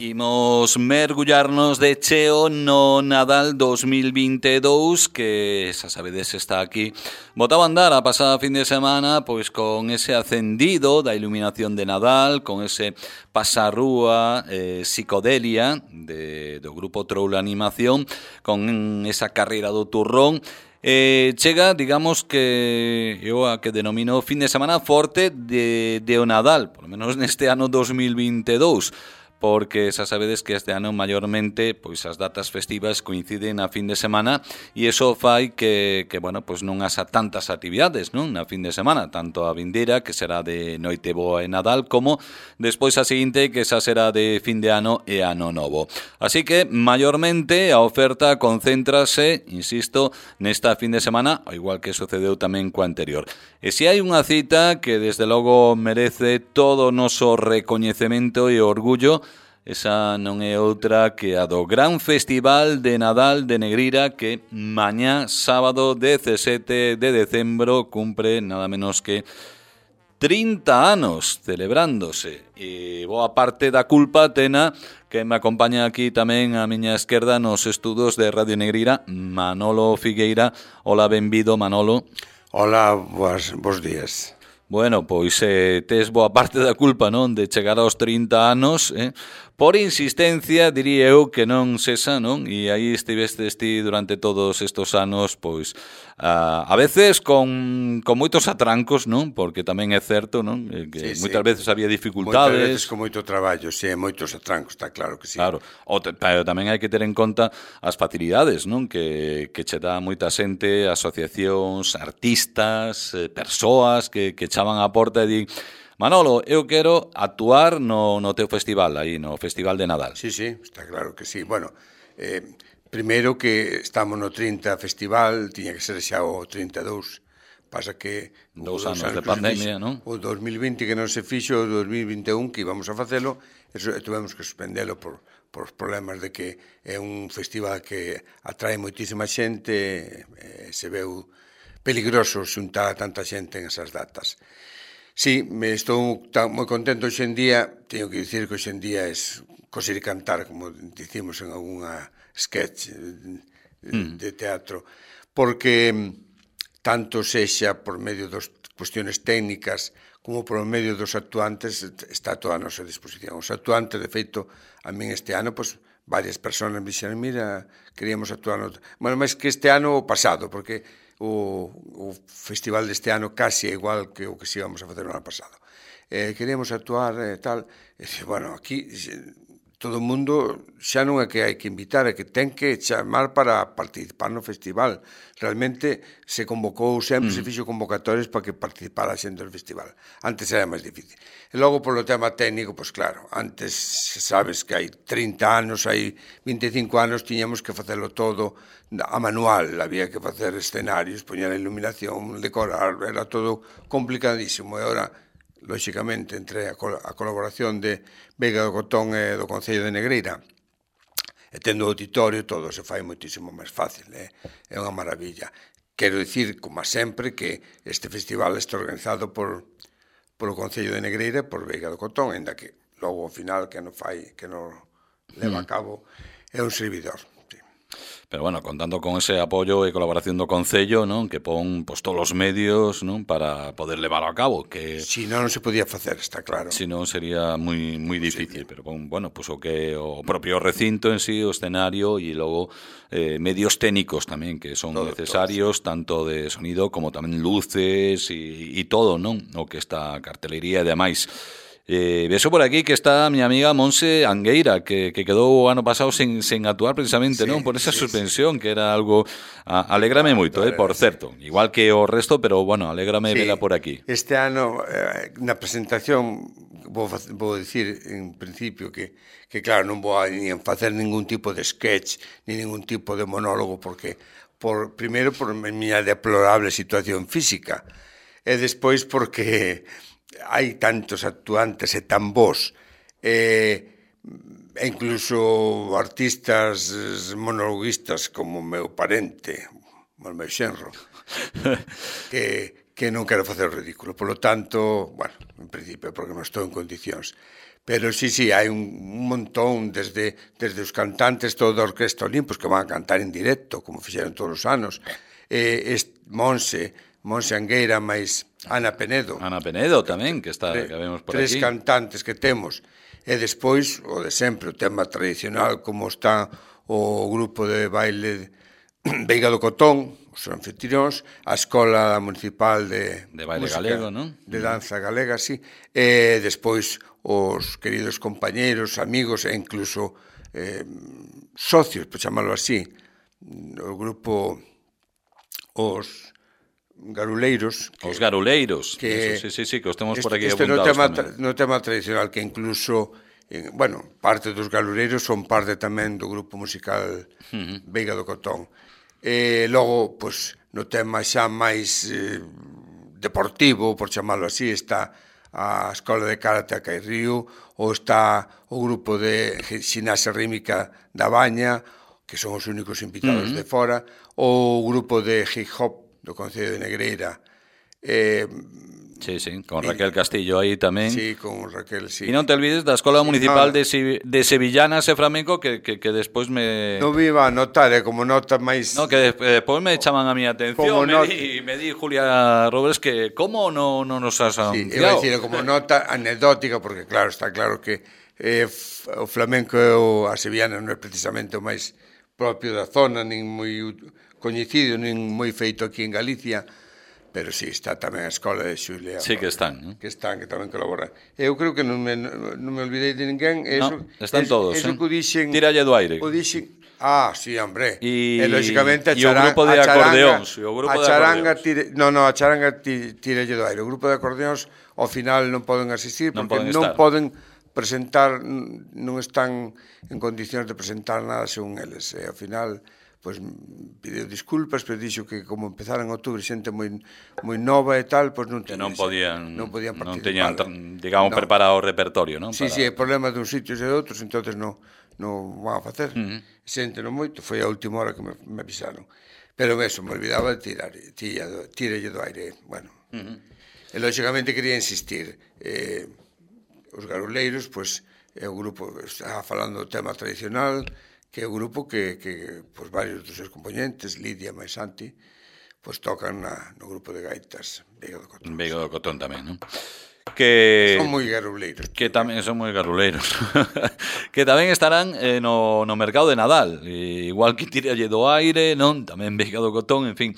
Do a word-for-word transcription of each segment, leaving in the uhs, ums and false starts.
Imos mergullarnos de cheo no Nadal dos mil veintidós, que xa sabedes está aquí. Botaba a andar a pasada fin de semana pois con ese acendido da iluminación de Nadal, con ese pasarrúa eh, psicodelia de, do grupo Troll Animación, con esa carreira do turrón. Eh, chega, digamos que eu a que denomino fin de semana forte de, de o Nadal, por lo menos neste ano dos mil veintidós, porque xa sabedes que este ano maiormente pois as datas festivas coinciden a fin de semana e iso fai que, que bueno, pois non haxa tantas actividades, non, na fin de semana, tanto a vindeira, que será de Noite Boa e Nadal, como despois a seguinte, que xa será de fin de ano e ano novo. Así que, maiormente, a oferta concéntrase, insisto, nesta fin de semana, ao igual que sucedeu tamén coa anterior. E se hai unha cita que desde logo merece todo o noso recoñecemento e orgullo, esa non é outra que a do Gran Festival de Nadal de Negreira, que mañá, sábado dezasete de decembro, cumpre nada menos que trinta anos celebrándose. E boa parte da culpa tena que me acompaña aquí tamén a miña esquerda nos estudos de Radio Negreira, Manolo Figueira. Hola, benvido, Manolo. Hola, boas, bons días. Bueno, pois eh, tes boa parte da culpa, non, de chegar aos trinta anos, eh? Por insistencia, diría eu, que non cesa, non? E aí estivestes ti durante todos estos anos, pois, a, a veces con, con moitos atrancos, non? Porque tamén é certo, non? Que sí, moitas sí. veces había dificultades. Moitas veces con moito traballo, sí, moitos atrancos, está claro que sí. Claro, o te, pero tamén hai que ter en conta as facilidades, non? Que, que che dá moita xente, asociacións, artistas, eh, persoas que, que chaban a porta e di: Manolo, eu quero actuar no, no teu festival, aí, no Festival de Nadal. Sí, sí, está claro que sí. Bueno, eh, primeiro que estamos no trinta festival, tiña que ser xa o trinta e dous. Pasa que... Dous anos de pandemia, non? O dos mil vinte que non se fixo, o dos mil vinte e un que íbamos a facelo, eso tuvemos que suspendelo por, por problemas de que é un festival que atrae moitísima xente, eh, se veu peligroso xuntar a tanta xente en esas datas. Sí, me estou tan, moi contento hoxe en día, teño que dicir que hoxe en día é coser e cantar, como dicimos en algunha sketch de, mm. de teatro, porque tanto sexa por medio das cuestiones técnicas como por medio dos actuantes está toda a nosa disposición. Os actuantes, de feito, a min este ano, pois, varias persoas me dixeron, mira, queríamos actuar no... Bueno, máis que este ano o pasado, porque O, o festival deste ano casi é igual que o que se íbamos a facer no ano pasado. Eh, queríamos actuar e eh, tal. E, bueno, aquí todo o mundo xa non é que hai que invitar, é que ten que chamar para participar no festival. Realmente se convocou, sempre mm. se fixo convocatorias para que participara a xente do festival. Antes era máis difícil. E logo, polo tema técnico, pois claro, antes sabes que hai trinta anos, hai vinte e cinco anos, tiñamos que facelo todo a manual, había que facer escenarios, poñer a iluminación, decorar, era todo complicadísimo. E agora, lóxicamente, entre a, col a colaboración de Veiga do Cotón e do Concello de Negreira, e tendo o auditorio, todo se fai moitísimo máis fácil, eh? É unha maravilla. Quero dicir, como sempre, que este festival está organizado por polo Concello de Negreira e por Veiga do Cotón, ainda que logo ao final que non fai, que non leva a cabo, é un servidor. Pero bueno, contando con ese apoio e colaboración do Concello, non, que pon pois, todos os medios, non, para poder levarlo a cabo, que si non non se podía facer, está claro. Si non sería moi moi difícil, sí. Pero bon, bueno, pois pues, o que o propio recinto en sí, o escenario e logo eh, medios técnicos tamén que son todo, necesarios, todo, sí. Tanto de sonido como tamén luces e, e todo, non, o que está cartelería e demais. Eh, vexo por aquí que está a miña amiga Monse Angueira, que, que quedou o ano pasado sen, sen actuar precisamente, sí, non? Por esa sí, suspensión, sí. Que era algo... A, alégrame moito, eh, por certo. Igual que o resto, pero, bueno, alégrame sí. Vela por aquí. Este ano, eh, na presentación, vou, vou dicir, en principio, que, que claro, non vou a nin facer ningún tipo de sketch, ni ningún tipo de monólogo, porque, por primeiro, por miña deplorable situación física, e despois porque... hai tantos actuantes e tan bons e, e incluso artistas monologuistas como o meu parente, o meu xenro, que, que non quero facer o ridículo. Por lo tanto, bueno, en principio, porque non estou en condicións. Pero sí, sí, hai un, un montón, desde, desde os cantantes todo a Orquesta Olimpos, que van a cantar en directo, como fixeron todos os anos, eh, est, Monse, Monse Angueira, máis Ana Penedo. Ana Penedo tamén, que está, tre, que vemos por tres aquí. Tres cantantes que temos. E despois, o de sempre, o tema tradicional, como está o grupo de baile Veiga do Cotón, os anfitrións, a Escola Municipal de, de Baile música, Galego, non? De danza galega, sí. E despois os queridos compañeiros, amigos e incluso eh, socios, por chamarlo así, o grupo os garuleiros. Que, os garuleiros, que, eso, sí, sí, sí, que os temos este, por aquí este apuntados no tema, tamén. No tema tradicional, que incluso, eh, bueno, parte dos garuleiros son parte tamén do grupo musical uh-huh. Veiga do Cotón. E logo, pois, no tema xa máis eh, deportivo, por chamarlo así, está a Escola de Karate a Cairrío, ou está o grupo de xinasia rítmica da Baña, que son os únicos invitados uh-huh. de fora, ou o grupo de hip hop do Concello de Negreira. Eh, sí, sí, con Raquel Castillo aí tamén. Sí, con Raquel, sí. E non te olvides da Escola sí, Municipal no, de, si, de Sevillanas e Flamenco que, que, que despois me... Non viva a notar, eh, como nota máis... No, que despois me chaman a mi atención, me, not... di, me di Julia Robles que como non no nos has anunciado. Sí, eu decir, como nota anecdótica, porque claro, está claro que eh, o flamenco e o, a sevillana non é precisamente o máis propio da zona, nin moi coñecido, nin moi feito aquí en Galicia, pero sí, está tamén a Escola de Xulia. Sí que están, ¿no? Que están, que tamén colaboran. Eu creo que non me, non me olvidei de ninguén. Eso, no, están eso, todos, eso eh? que o dixen... Tíralle do aire. O dixen... Ah, sí, hombre. E, e lógicamente, a, charanga, e o grupo de acordeóns. O grupo a de charanga acordeóns. Tire, no, no, a charanga tíralle do aire. O grupo de acordeóns, ao final, non poden asistir, non porque poden non estar. poden presentar, non están en condicións de presentar nada según eles. E ao final... pois pideu disculpas, pero dixo que como empezaran en outubro xente moi moi nova e tal, pois non que non podían, non podían participar. Non teñan, digamos, no. preparado o repertorio, non? Sí, Para... sí, é problema de uns sitios e de outros, entonces non non van a facer. Uh -huh. Xente non moito, foi a última hora que me, me avisaron. Pero eso, me olvidaba de tirar, tiralle do aire, bueno. Uh -huh. E lógicamente quería insistir, eh, os garuleiros, pois, é o grupo, estaba falando do tema tradicional, que é o grupo que, que pues, varios dos seus componentes, Lidia e Santi, pues, tocan na, no grupo de gaitas Veiga do Cotón. Veiga do Cotón tamén, non? Que son moi garuleiros. Que tamén son moi garuleiros. Que tamén estarán eh, no, no mercado de Nadal, e igual que Tíralle do aire, non? Tamén Veiga do Cotón, en fin.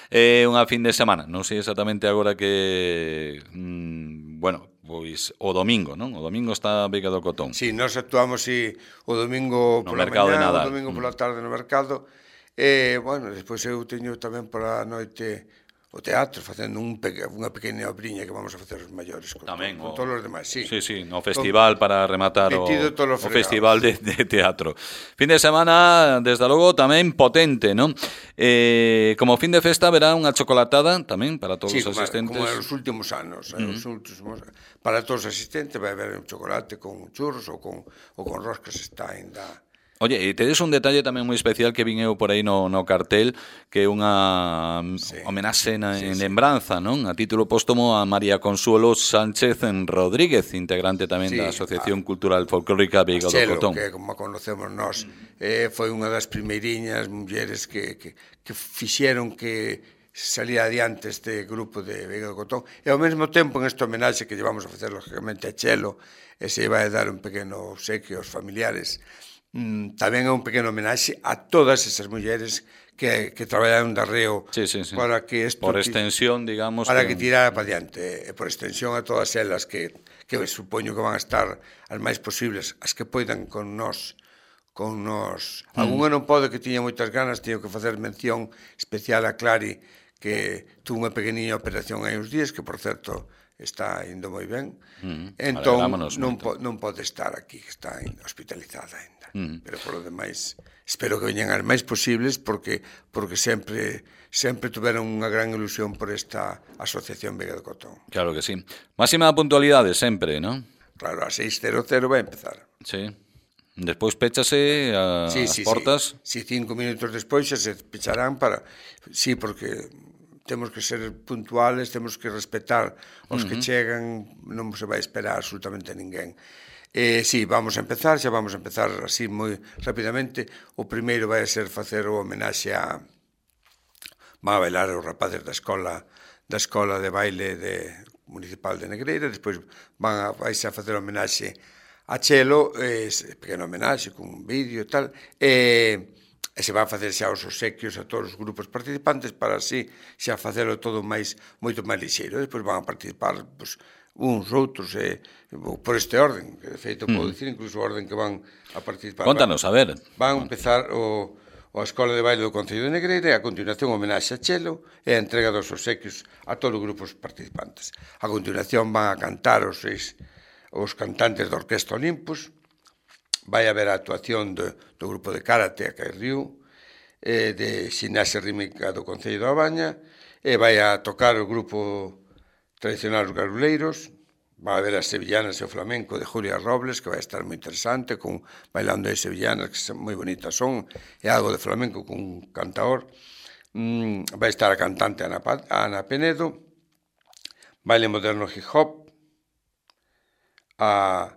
É eh, unha fin de semana, non sei exactamente agora que... Mmm, bueno... pois o domingo, non? O domingo está Veiga do Cotón. Si, sí, nós actuamos si, o domingo no pola mercado mañá, de Nadal. O domingo pola tarde no mercado. E, bueno, despois eu teño tamén pola noite o teatro, facendo un peque, unha pequena obriña que vamos a facer os maiores con, tamén, con, o... con todos os demais, sí. Sí, sí, no festival con... para rematar o, o festival de, de teatro. Fin de semana, desde logo, tamén potente, non? Eh, como fin de festa verá unha chocolatada tamén para todos sí, os asistentes. Sí, como en os últimos anos, uh -huh. os últimos, para todos os asistentes vai haber un chocolate con churros ou con, ou con roscas, está ainda... Oye, e tedes un detalle tamén moi especial que vin eu por aí no, no cartel, que é unha sí. homenaxe na, sí, en sí. lembranza, non? A título póstumo a María Consuelo Sánchez Rodríguez, integrante tamén sí, da Asociación a... Cultural Folclórica Veiga do Cotón. Que, como conocemos nós, eh, foi unha das primeiriñas mulleres que, que, que fixeron que salía adiante este grupo de Veiga do Cotón. E ao mesmo tempo, en esta homenaxe que llevamos a facer, lógicamente, a Chelo, e se vai a dar un pequeno obsequio aos familiares, Mm, tamén é un pequeno homenaxe a todas esas mulleres que, que traballaron de arreo sí, sí, sí. para que esto, por extensión, digamos, para que... que tirara para diante, e por extensión a todas elas que, que supoño que van a estar as máis posibles, as que poidan con nós con nós. Mm. Alguna non pode, que tiña moitas ganas, teño que facer mención especial a Clari, que tuvo unha pequeniña operación hai uns días, que por certo está indo moi ben. Mm. Entón non, po, non pode estar aquí, que está hospitalizada ainda. Mm. Pero por lo demais, espero que veñan as máis posibles, porque porque sempre sempre tuveron unha gran ilusión por esta asociación Veiga do Cotón. Claro que sí. Máxima puntualidade sempre, ¿no? Claro, a seis cero cero vai empezar. Sí. Despois péchase a, sí, as sí, portas. Si, sí. sí, cinco minutos despois xa se pecharán para... Sí, porque temos que ser puntuales, temos que respetar os uh -huh. que chegan, non se vai esperar absolutamente a ninguén. Eh, sí, vamos a empezar, xa vamos a empezar así moi rapidamente. O primeiro vai a ser facer o homenaxe a... van a bailar os rapaces da escola da escola de baile de, municipal de Negreira, despois van a, vais a facer homenaxe a Chelo, eh, pequeno homenaxe con un vídeo e tal, e... e se van a facer xa os obsequios a todos os grupos participantes para así xa facelo todo máis moito máis lixeiro. Despois van a participar pois, uns, outros, e, por este orden, que de feito mm. podo dicir incluso o orden que van a participar. Contanos, a ver. Van a empezar o, o Escola de Baile do Concello de Negreira e a continuación homenaxe a Chelo e a entrega dos obsequios a todos os grupos participantes. A continuación van a cantar os seis os cantantes da Orquestra Olympus. Vai haber a actuación do, do grupo de karate a Cairriu, eh, de ximnasia rítmica do Concello da Baña, e vai a tocar o grupo tradicional Os Garuleiros. Vai haber as sevillanas e o flamenco de Julia Robles, que vai estar moi interesante, con bailando de sevillanas, que moi bonitas son, e algo de flamenco con un cantaor. Mm, vai estar a cantante Ana, Ana Penedo, baile moderno hip hop, a...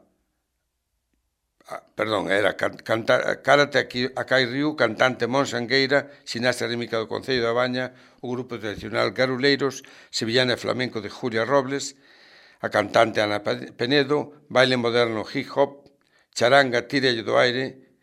perdón, era canta, karate a Cairriu, cantante Monse Angueira, ximnasia rítmica do Concello da Baña, o grupo tradicional Garuleiros, sevillana e flamenco de Julia Robles, a cantante Ana Penedo, baile moderno hip hop, charanga, tirello do aire,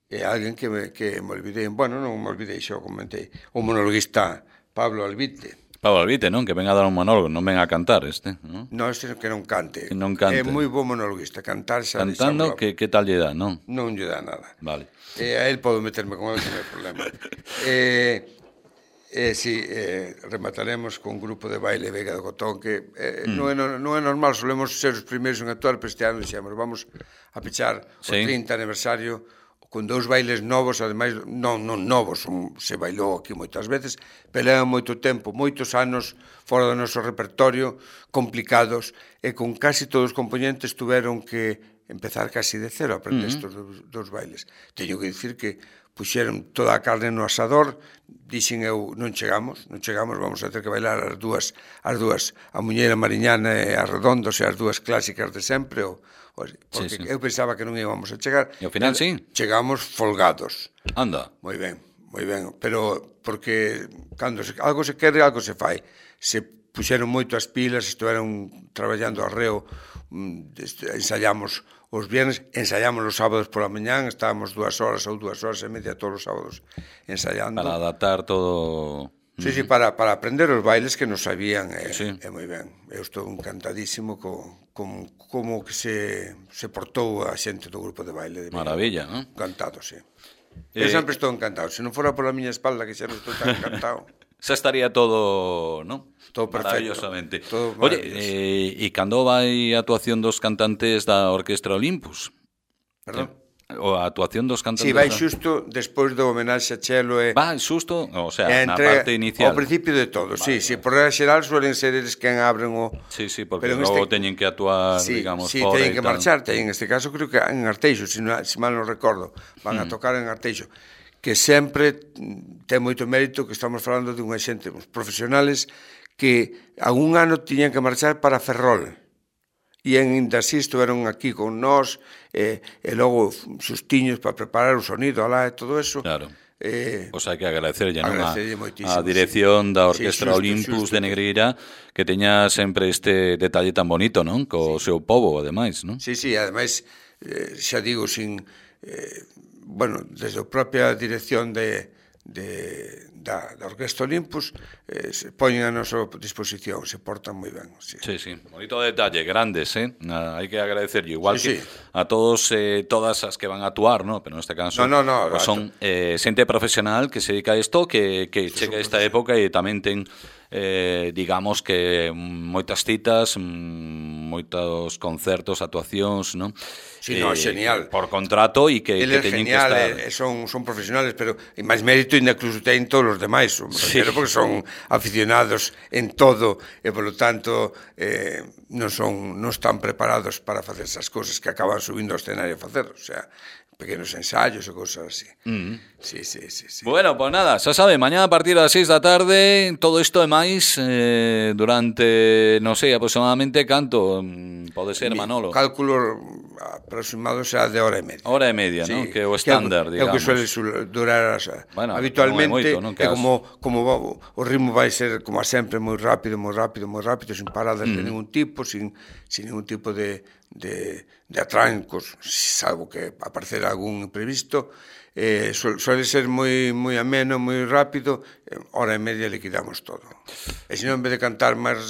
e alguén que me, que me olvidei, bueno, non me olvidei, xo comentei, o monologuista Pablo Albite. Pablo Albite, non? Que ven a dar un monólogo, non ven a cantar este, non? Non, este que non cante. Que non cante. É moi bo monologuista, cantar xa... Cantando, que, que tal lle dá, non? Non lle dá nada. Vale. Eh, a él podo meterme con él, non hai problema. eh, eh, si, eh, remataremos con un grupo de baile Vega do Cotón, que eh, mm. non, é, non é normal, solemos ser os primeiros en actuar, pero este ano dixemos, vamos a pechar sí. o trinta aniversario con dous bailes novos, ademais, non, non novos, un, se bailou aquí moitas veces, pero levan moito tempo, moitos anos fora do noso repertorio, complicados, e con casi todos os componentes tuveron que empezar casi de cero a aprender estes uh -huh. dos, dos bailes. Teño que dicir que puxeron toda a carne no asador, dixen eu, non chegamos, non chegamos, vamos a ter que bailar as dúas, as dúas, a Muñeira Mariñana e a Redondos, e as dúas clásicas de sempre, o, porque sí, sí. eu pensaba que non íbamos a chegar. E ao final, sí? Chegamos folgados. Anda. Moi ben, moi ben, pero porque cando se, algo se quere, algo se fai. Se puxeron moito as pilas, estiveron traballando arreo, ensayamos os viernes, ensayamos os sábados pola mañán, estábamos dúas horas ou dúas horas e media todos os sábados ensayando. Para adaptar todo... Sí, sí, para, para aprender os bailes que nos sabían, é, sí. é moi ben. Eu estou encantadísimo co, con como que se, se portou a xente do grupo de baile. De Maravilla, non? Encantado, sí. Eh... Eu sempre estou encantado. Se non fora pola miña espalda, que xa non estou tan encantado. Xa estaría todo, non? Todo perfecto. Maravillosamente. Todo Oye, eh, e cando vai a actuación dos cantantes da Orquestra Olympus? Perdón? O a actuación dos cantantes... Si, sí, vai xusto despois do homenaxe a Chelo e... Va xusto, o sea, entre, na parte inicial. Ao principio de todo, vale, si, sí, sí, por regla xeral suelen ser eles quen abren o... Sí, sí, porque logo este... teñen que actuar, sí, digamos, sí, fora e tal. Sí, teñen que marchar, teñen, en este caso creo que en Arteixo, se si, no, si mal non recordo, van mm. a tocar en Arteixo, que sempre ten moito mérito que estamos falando de unha xente, uns profesionales que a un ano tiñan que marchar para Ferrol. E ainda así estuveron aquí con nós, e, e logo xustiños para preparar o sonido alá e todo eso. Claro. Eh, o sea, que agradecerlle non a, a dirección sí. da Orquestra sí, xusto, Olympus xusto. de Negreira, que teña sempre este detalle tan bonito, non? Co sí. seu pobo, ademais, non? Sí, sí, ademais, eh, xa digo, sin... Eh, bueno, desde a propia dirección de... de Da, da Orquestra Olympus eh, se poñen a nosa disposición, se portan moi ben. Sí, sí, sí. Bonito detalle, grandes, eh? Ah, hai que agradecerlle, igual sí, que sí. a todos, eh, todas as que van a actuar, ¿no? Pero neste caso no, no, no, pues son eh, xente profesional que se dedica a isto, que, que chega a esta época e tamén ten, eh, digamos que moitas citas, moitos concertos, actuacións, ¿no? Sí, no, eh, genial. Por contrato e que, que teñen genial, que estar... Eh, son, son profesionales, pero e máis mérito ainda incluso ten todos os demais, sí. Porque son aficionados en todo e, polo tanto, eh, non son non están preparados para facer esas cousas que acaban subindo ao escenario a facer, o sea, pequenos ensayos e cosas así. Mm. Sí, sí, sí, sí. Bueno, pues nada, xa sabe, mañá a partir das seis da tarde, todo isto e máis eh, durante, non sei, aproximadamente canto pode ser, Manolo? O cálculo aproximado xa de hora e media. Hora e media, sí, non? Que é o estándar, digamos. É o que suele durar as, bueno, habitualmente, non é moito, non? é como, como o ritmo vai ser, como a sempre, moi rápido, moi rápido, moi rápido, sin paradas mm. de ningún tipo, sin, sin ningún tipo de, de, de atrancos, salvo que aparecer algún imprevisto. Eh, suele ser moi moi ameno, moi rápido, hora e media liquidamos todo. E se non, en vez de cantar máis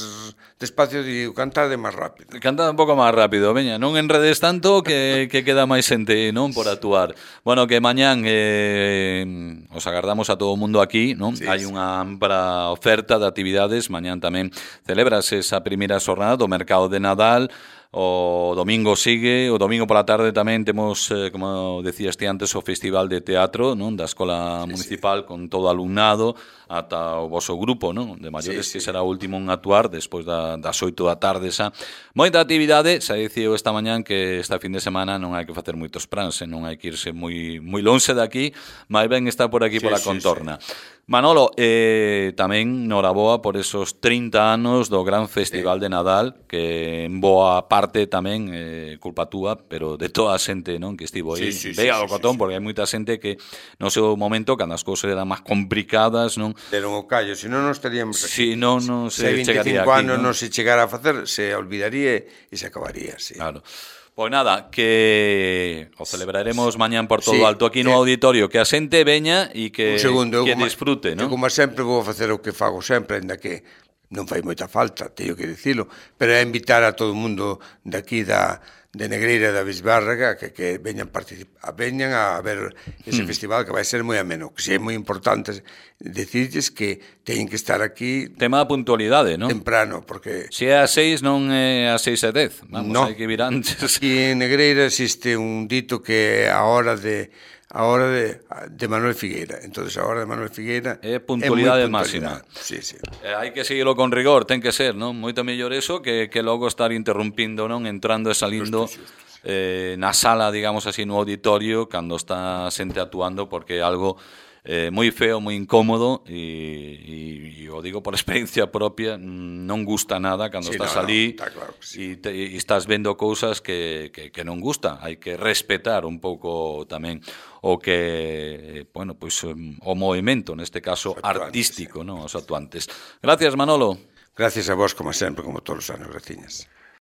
despacio, digo, cantar de máis rápido. Cantar un pouco máis rápido, veña, non enredes tanto que, que queda máis xente, non, por actuar. Bueno, que mañán eh, os agardamos a todo o mundo aquí, non? Sí, hai sí. Unha ampla oferta de actividades, mañán tamén celebrase esa primeira xornada do mercado de Nadal. O domingo sigue, o domingo pola tarde tamén temos, eh, como decías ti antes, o Festival de Teatro, non, da Escola sí, Municipal, sí. con todo o alumnado, ata o voso grupo, non, de maiores, sí, que sí. será o último en actuar despois da, das oito da tarde xa. Moita actividade, xa dicía esta mañán que esta fin de semana non hai que facer moitos plans, non hai que irse moi moi lonxe de aquí, máis ben estar por aquí sí, pola sí, contorna. Sí. Manolo, eh, tamén noraboa por esos trinta anos do gran Festival sí. de Nadal, que en boa parte tamén eh, culpa túa, pero de toda a xente, non, que estivo aí, sí, sí, vea sí, o cotón, sí, sí. porque hai moita xente que no seu momento, cando as cousas eran máis complicadas, non? Deron o callo, se non nos estaríamos Si aquí. non, non se, se chegaría aquí, anos non se chegara a facer, se olvidaría e se acabaría, sí. Claro. Pois nada, que o celebraremos mañán por todo sí, alto aquí no auditorio, que a xente veña e que, segundo, que como, disfrute, non? Como sempre vou facer o que fago sempre, ainda que non fai moita falta, teño que dicilo, pero é invitar a todo o mundo de aquí da de Negreira da Bisbárraga que, que veñan, participar, veñan a ver ese mm. festival que vai ser moi ameno, que si é moi importante decirles que teñen que estar aquí tema da puntualidade, non? Temprano, porque se é a seis non é a seis e dez, vamos, no. hai que vir antes. Aquí en Negreira existe un dito que é a hora de a hora de, de Manuel Figueira. Entonces a hora de Manuel Figueira é puntualidade máxima. Sí, sí. Eh, hai que seguilo con rigor, ten que ser, non? Moito mellor eso que, que logo estar interrumpindo, non? Entrando e salindo justo, justo, sí. eh, na sala, digamos así, no auditorio, cando está xente actuando, porque é algo eh, moi feo, moi incómodo e, e, e o digo por experiencia propia, non gusta nada cando sí, estás no, ali no, claro sí. e, te, e estás vendo cousas que, que, que non gusta. Hai que respetar un pouco tamén o que, bueno, pois o movimento, neste caso artístico, sí. non, os actuantes. Gracias, Manolo. Gracias a vos, como sempre, como todos os anos, graciñas.